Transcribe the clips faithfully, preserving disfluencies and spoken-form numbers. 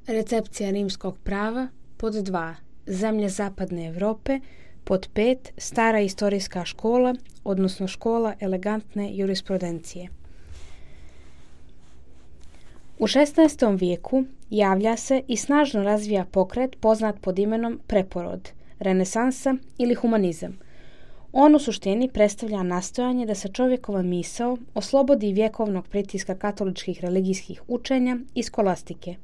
Recepcija rimskog prava. Pod dva. Zemlje zapadne Europe. Pod pet. Stara istorijska škola, odnosno škola elegantne jurisprudencije. U šesnaestom vijeku javlja se i snažno razvija pokret poznat pod imenom preporod, renesansa ili humanizam. On u suštini predstavlja nastojanje da se čovjekova misao oslobodi vjekovnog pritiska katoličkih religijskih učenja i skolastike.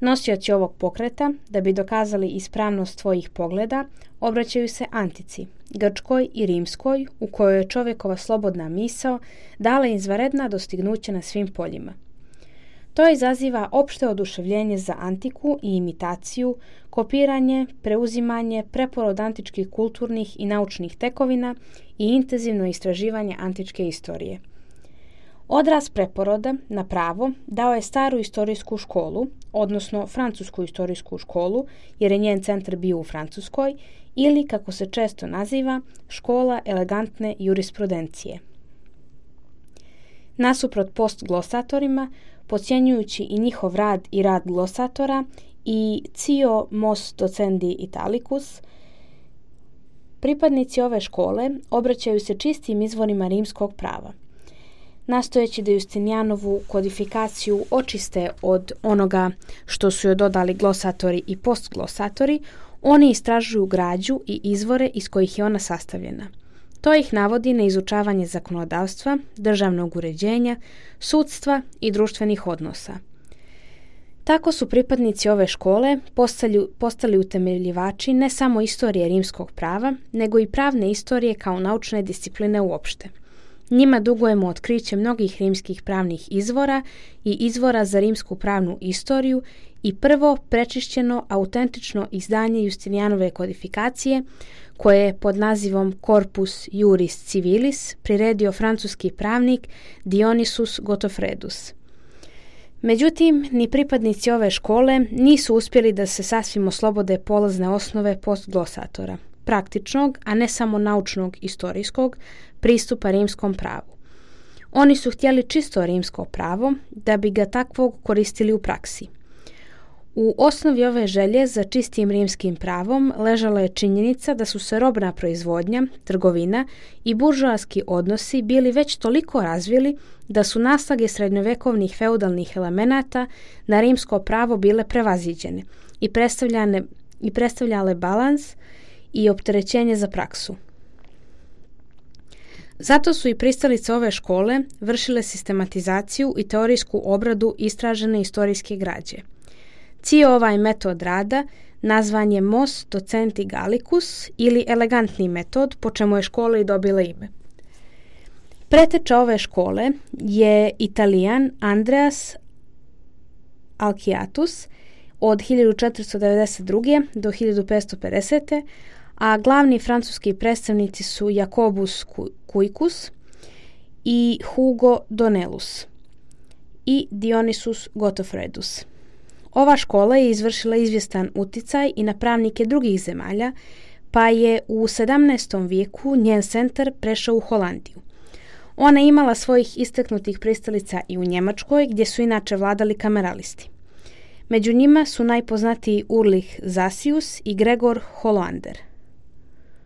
Nosioci ovog pokreta, da bi dokazali ispravnost svojih pogleda, obraćaju se antici, grčkoj i rimskoj, u kojoj je čovjekova slobodna misao dala izvanredna dostignuća na svim poljima. To izaziva opšte oduševljenje za antiku i imitaciju, kopiranje, preuzimanje, preporod antičkih kulturnih i naučnih tekovina i intenzivno istraživanje antičke istorije. Odraz preporoda na pravo dao je staru istorijsku školu, odnosno francusku istorijsku školu, jer je njen centar bio u Francuskoj, ili, kako se često naziva, škola elegantne jurisprudencije. Nasuprot postglosatorima, podcjenjujući i njihov rad i rad glosatora i cio mos docendi italicus, pripadnici ove škole obraćaju se čistim izvorima rimskog prava. Nastojeći da Justinijanovu kodifikaciju očiste od onoga što su joj dodali glosatori i postglosatori, oni istražuju građu i izvore iz kojih je ona sastavljena. To ih navodi na izučavanje zakonodavstva, državnog uređenja, sudstva i društvenih odnosa. Tako su pripadnici ove škole postali, postali utemeljivači ne samo istorije rimskog prava, nego i pravne istorije kao naučne discipline uopšte. Njima dugujemo otkriće mnogih rimskih pravnih izvora i izvora za rimsku pravnu istoriju i prvo prečišćeno autentično izdanje Justinijanove kodifikacije, koje je pod nazivom Corpus Juris Civilis priredio francuski pravnik Dionysius Godofredus. Međutim, ni pripadnici ove škole nisu uspjeli da se sasvim oslobode polazne osnove postglosatora, praktičnog, a ne samo naučnog istorijskog pristupa rimskom pravu. Oni su htjeli čisto rimsko pravo da bi ga takvog koristili u praksi. U osnovi ove želje za čistim rimskim pravom ležala je činjenica da su se robna proizvodnja, trgovina i buržoaski odnosi bili već toliko razvili da su naslage srednjovekovnih feudalnih elemenata na rimsko pravo bile prevaziđene i predstavljane i predstavljale balans i opterećenje za praksu. Zato su i pristalice ove škole vršile sistematizaciju i teorijsku obradu istražene istorijske građe. Cio ovaj metod rada nazvan je mos docenti gallicus ili elegantni metod, po čemu je škola i dobila ime. Preteča ove škole je Italijan Andreas Alciatus od hiljadu četiristo devedeset druge do hiljadu petsto pedesete. a glavni francuski predstavnici su Jacobus Cuicus i Hugo Donelus i Dionysius Godofredus. Ova škola je izvršila izvjestan uticaj i na pravnike drugih zemalja, pa je u sedamnaestom vijeku njen centar prešao u Holandiju. Ona je imala svojih istaknutih pristalica i u Njemačkoj, gdje su inače vladali kameralisti. Među njima su najpoznatiji Ulrich Zasius i Gregor Holander.